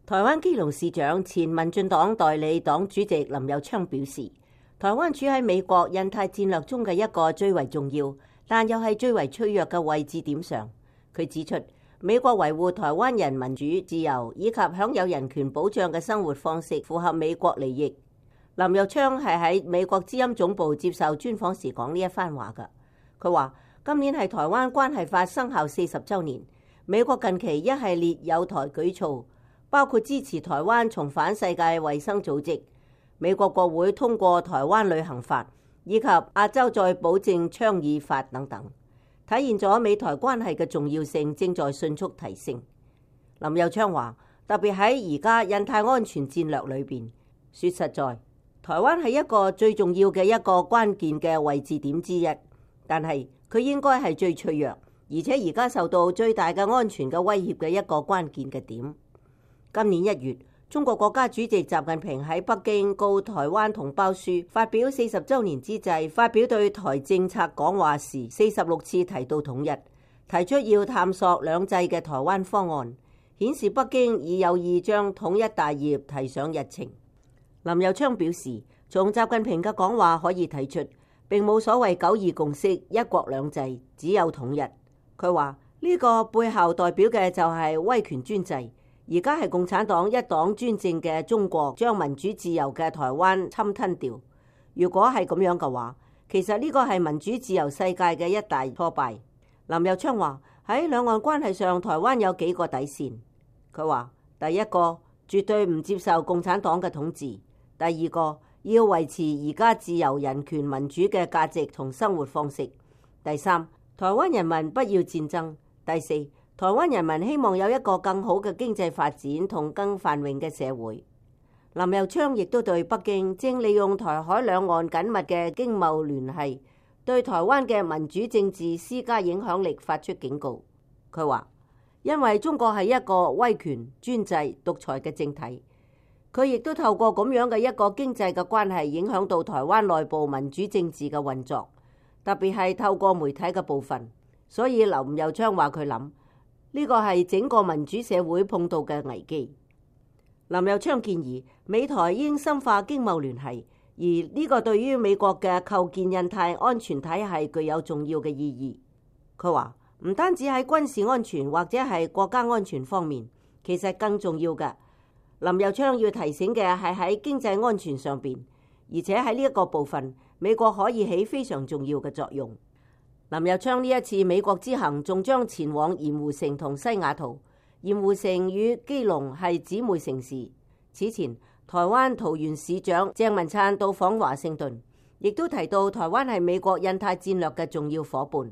台灣基隆市長前民進黨代理黨主席林右昌表示，台灣處喺美國印太戰略中嘅一個最為重要，但又係最為脆弱嘅位置點上。佢指出，美國維護台灣人民主自由以及享有人權保障嘅生活方式符合美國利益。林右昌係喺美國之音總部接受專訪時講呢一番話㗎。佢話：今年係台灣關係法生效40週年，美國近期一系列友台舉措，包括支持台灣重返世界衛生組織，美國國會通過台灣旅行法，以及亞洲再保證倡議法等等，體現咗美台關係嘅重要性正在迅速提升。林右昌話：特別喺而家印太安全戰略裏邊，說實在，台灣係一個最重要嘅一個關鍵嘅位置點之一，但係佢應該係最脆弱，而且而家受到最大嘅安全嘅威脅嘅一個關鍵嘅點。今年1月，中國國家主席習近平喺北京告台灣同胞書發表40週年之際，發表對台政策講話時46次提到統一，提出要探索兩制嘅台灣方案，顯示北京已有意將統一大業提上日程。林右昌表示，從習近平嘅講話可以睇出，並冇所謂9·2共識、一國兩制，只有統一。佢話呢個背後代表嘅就係威權專制。而家係共產黨一黨專政嘅中國將民主自由嘅台灣侵吞掉。如果係咁樣嘅話，其實呢個係民主自由世界嘅一大挫敗。林右昌話喺兩岸關係上，台灣有幾個底線。佢話第一個絕對唔接受共產黨嘅統治，第二個要維持而家自由、人權、民主嘅價值同生活方式，第三，台灣人民不要戰爭，第四，台灣人民希望有一個更好嘅經濟發展同更繁榮嘅社會。林右昌亦都對北京正利用台海兩岸緊密嘅經貿聯繫，對台灣嘅民主政治施加影響力發出警告。佢話：因為中國係一個威權、專制、獨裁嘅政體，佢亦都透過咁樣嘅一個經濟嘅關係，影響到台灣內部民主政治嘅運作，特別係透過媒體嘅部分。所以林右昌話佢諗，呢個係整個民主社會碰到嘅危機。林右昌建議美台應深化經貿聯繫，而呢個對於美國嘅構建印太安全體系具有重要嘅意義。佢話唔單止喺軍事安全或者係國家安全方面，其實更重要嘅，林右昌要提醒嘅係喺經濟安全上邊，而且喺呢一個部分，美國可以起非常重要嘅作用。林右昌呢一次美國之行仲將前往鹽湖城同西雅圖。鹽湖城與基隆係姊妹城市。此前，台灣桃園市長鄭文燦到訪華盛頓，亦都提到台灣係美國印太戰略嘅重要夥伴。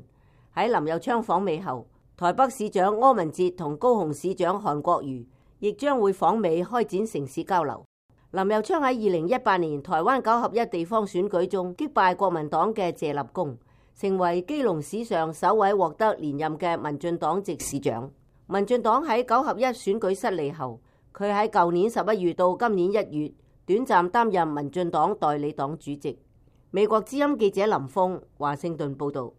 喺林右昌訪美後，台北市長柯文哲同高雄市長韓國瑜亦將會訪美開展城市交流。林右昌喺2018年台灣9合1地方選舉中擊敗國民黨嘅謝立功，成為基隆史上首位獲得連任嘅民進黨籍市長。民進黨喺9合1選舉失利後，佢喺舊年11月到今年1月短暫擔任民進黨代理黨主席。美國之音記者林峰華盛頓報道。